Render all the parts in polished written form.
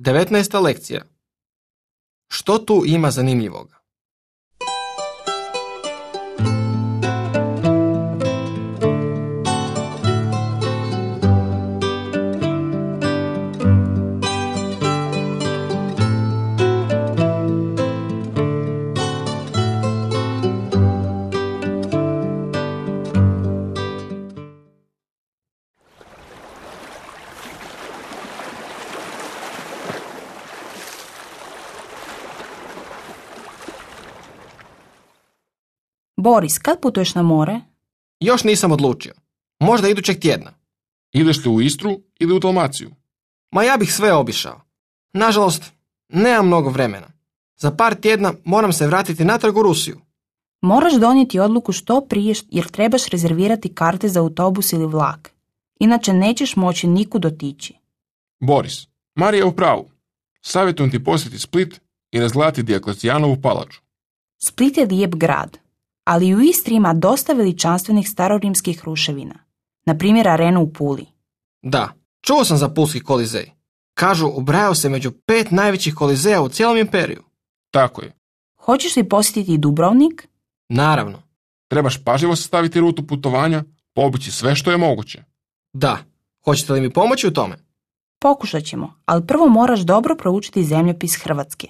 19. lekcija. Što tu ima zanimljivoga? Boris, kad putuješ na more? Još nisam odlučio. Možda idućeg tjedna. Ideš li u Istru ili u Dalmaciju? Ma ja bih sve obišao. Nažalost, nemam mnogo vremena. Za par tjedna moram se vratiti natrag u Rusiju. Moraš donijeti odluku što prije jer trebaš rezervirati karte za autobus ili vlak. Inače nećeš moći nikud otići. Boris, Marija je u pravu. Savjetujem ti posjetiti Split i razgledati Dioklecijanovu palaču. Split je lijep grad, ali u Istri ima dosta veličanstvenih starorimskih ruševina. Na primjer arenu u Puli. Da, čuo sam za Pulski kolizej. Kažu, ubrajao se među 5 najvećih kolizeja u cijelom imperiju. Tako je. Hoćeš li posjetiti i Dubrovnik? Naravno. Trebaš pažljivo sastaviti rutu putovanja, poobići sve što je moguće. Da. Hoćete li mi pomoći u tome? Pokušat ćemo, ali prvo moraš dobro proučiti zemljopis Hrvatske.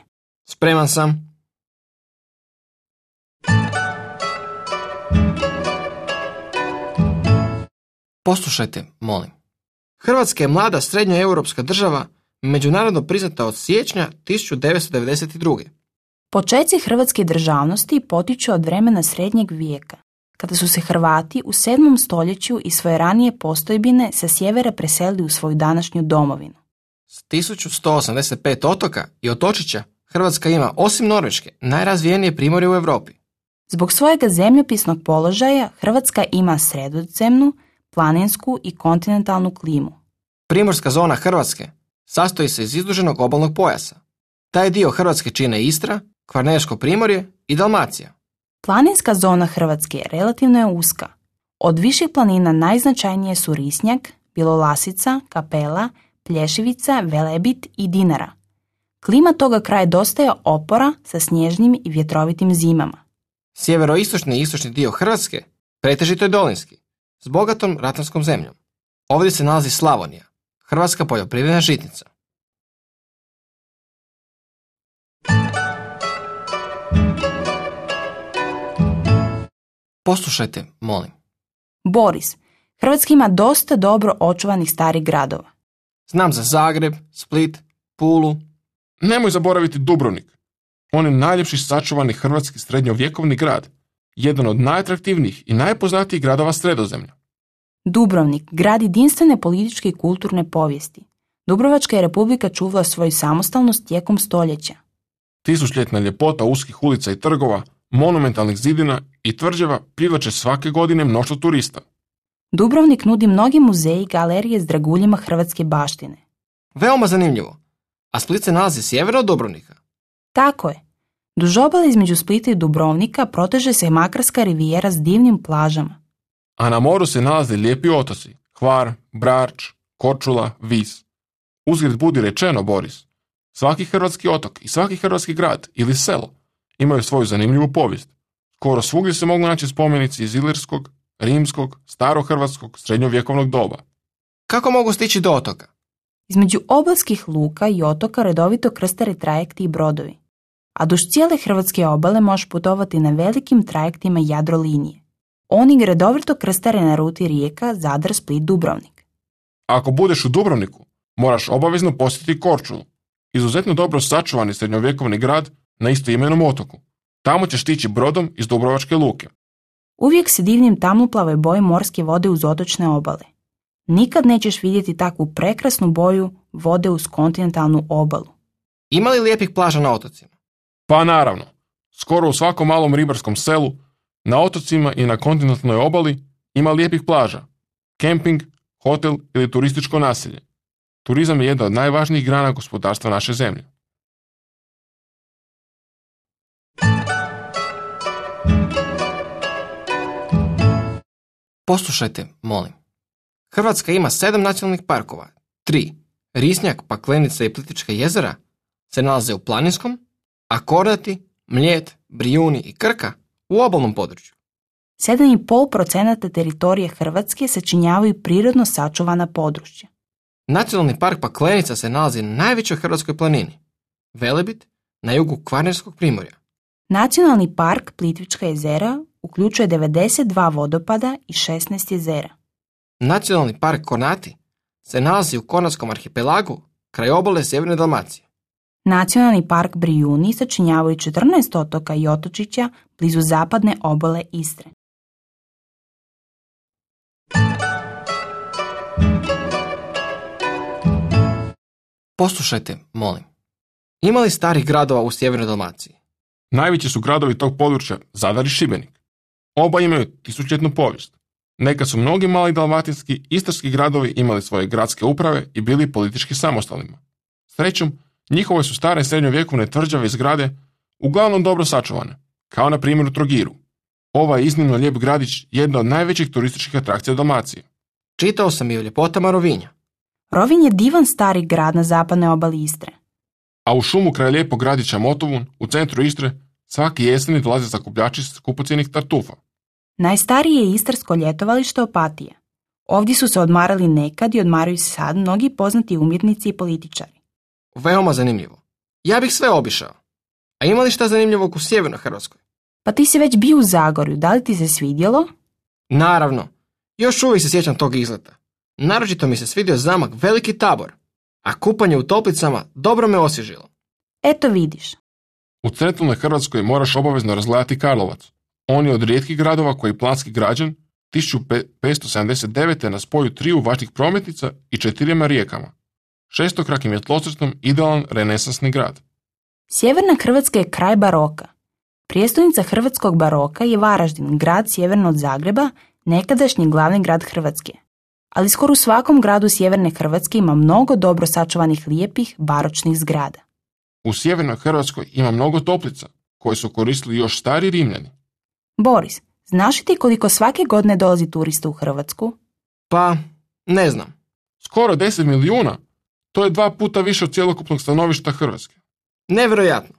Spreman sam. Poslušajte, molim. Hrvatska je mlada srednjoeuropska država, međunarodno priznata od siječnja 1992. Počeci hrvatske državnosti potiču od vremena srednjeg vijeka, kada su se Hrvati u 7. stoljeću i svoje ranije postojbine sa sjevera preselili u svoju današnju domovinu. S 1185 otoka i otočića Hrvatska ima, osim Norveške, najrazvijenije primorje u Europi. Zbog svojega zemljopisnog položaja Hrvatska ima sredozemnu, planinsku i kontinentalnu klimu. Primorska zona Hrvatske sastoji se iz izduženog obalnog pojasa. Taj dio Hrvatske čine Istra, Kvarnersko primorje i Dalmacija. Planinska zona Hrvatske relativno je uska. Od viših planina najznačajnije su Risnjak, Bjelolasica, Kapela, Plješevica, Velebit i Dinara. Klima toga kraja dosta je opora sa snježnim i vjetrovitim zimama. Sjeveroistočni i istočni dio Hrvatske pretežito je dolinski, s bogatom ratarskom zemljom. Ovdje se nalazi Slavonija, hrvatska poljoprivredna žitnica. Poslušajte, molim. Boris, Hrvatska ima dosta dobro očuvanih starih gradova. Znam za Zagreb, Split, Pulu. Nemoj zaboraviti Dubrovnik. On je najljepši sačuvani hrvatski srednjovjekovni grad, jedan od najatraktivnijih i najpoznatijih gradova Sredozemlja. Dubrovnik, grad jedinstvene političke i kulturne povijesti. Dubrovačka je republika čuvala svoju samostalnost tijekom stoljeća. Tisućljetna ljepota uskih ulica i trgova, monumentalnih zidina i tvrđava privlače svake godine mnoštvo turista. Dubrovnik nudi mnogi muzeji i galerije s draguljima hrvatske baštine. Veoma zanimljivo. A Split se nalazi sjeverno od Dubrovnika. Tako je. Duž obale između Splita i Dubrovnika proteže se Makarska rivijera s divnim plažama. A na moru se nalaze lijepi otoci, Hvar, Brač, Korčula, Vis. Uzgred budi rečeno, Boris, svaki hrvatski otok i svaki hrvatski grad ili selo imaju svoju zanimljivu povijest. Skoro svugdje se mogu naći spomenici iz ilirskog, rimskog, starohrvatskog, srednjovjekovnog doba. Kako mogu stići do otoka? Između obalskih luka i otoka redovito krstare trajekti i brodovi, a duž cijele hrvatske obale možeš putovati na velikim trajektima Jadrolinije. Oni redovito krstare na ruti rijeka Zadar, Split, Dubrovnik. Ako budeš u Dubrovniku, moraš obavezno posjetiti Korčulu, izuzetno dobro sačuvani srednjovjekovni grad na istoimenom otoku. Tamo ćeš stići brodom iz Dubrovačke luke. Uvijek se divnim tamnoplavoj boji morske vode uz otočne obale. Nikad nećeš vidjeti takvu prekrasnu boju vode uz kontinentalnu obalu. Ima li lijepih plaža na otocima? Pa naravno, skoro u svakom malom ribarskom selu, na otocima i na kontinentalnoj obali ima lijepih plaža, kemping, hotel ili turističko naselje. Turizam je jedna od najvažnijih grana gospodarstva naše zemlje. Poslušajte, molim. Hrvatska ima 7 nacionalnih parkova, 3. Risnjak, Paklenica i Plitvička jezera se nalaze u planinskom, a Kornati, Mljet, Brijuni i Krka u obalnom području. 7,5% teritorije Hrvatske sačinjavaju prirodno sačuvana područja. Nacionalni park Paklenica se nalazi na najvećoj hrvatskoj planini, Velebit, na jugu Kvarnerskog primorja. Nacionalni park Plitvička jezera uključuje 92 vodopada i 16 jezera. Nacionalni park Kornati se nalazi u Kornatskom arhipelagu kraj obale Sjeverne Dalmacije. Nacionalni park Brijuni sačinjavaju 14 otoka i otočića blizu zapadne obale Istre. Poslušajte, molim. Ima li starih gradova u Sjevernoj Dalmaciji? Najveći su gradovi tog područja Zadar i Šibenik. Oba imaju tisućljetnu povijest. Nekad su mnogi mali dalmatinski istarski gradovi imali svoje gradske uprave i bili politički samostalnima. Srećom, njihove su stare srednjovjekovne tvrđave i zgrade uglavnom dobro sačuvane, kao na primjer u Trogiru. Ovaj iznimno lijep gradić jedna od najvećih turističkih atrakcija u Dalmaciji. Čitao sam i o ljepotama Rovinja. Rovinj je divan stari grad na zapadnoj obali Istre. A u šumu kraj lijepog gradića Motovun, u centru Istre, svaki jeseni dolaze sakupljači skupocjenih tartufa. Najstarije je istarsko ljetovalište Opatija. Ovdje su se odmarali nekad i odmaraju se sad mnogi poznati umjetnici i političari. Veoma zanimljivo. Ja bih sve obišao. A ima li šta zanimljivog u Sjevernoj Hrvatskoj? Pa ti si već bio u Zagorju, da li ti se svidjelo? Naravno. Još uvijek se sjećam tog izleta. Naročito mi se svidio zamak Veliki Tabor, a kupanje u toplicama dobro me osvježilo. Eto vidiš. U centralnoj Hrvatskoj moraš obavezno razgledati Karlovac. On je od rijetkih gradova koji je planski građen 1579. na spoju 3 važnih prometnica i 4 rijekama. Šestokrakim je tlocrtom idealan renesansni grad. Sjeverna Hrvatska je kraj baroka. Prijestolnica hrvatskog baroka je Varaždin, grad sjeverno od Zagreba, nekadašnji glavni grad Hrvatske. Ali skoro u svakom gradu sjeverne Hrvatske ima mnogo dobro sačuvanih lijepih baročnih zgrada. U sjevernoj Hrvatskoj ima mnogo toplica koje su koristili još stari Rimljani. Boris, znaš li ti koliko svake godine dolazi turista u Hrvatsku? Pa, ne znam. Skoro 10 milijuna. To je 2 puta više od cjelokupnog stanovišta Hrvatske. Nevjerojatno.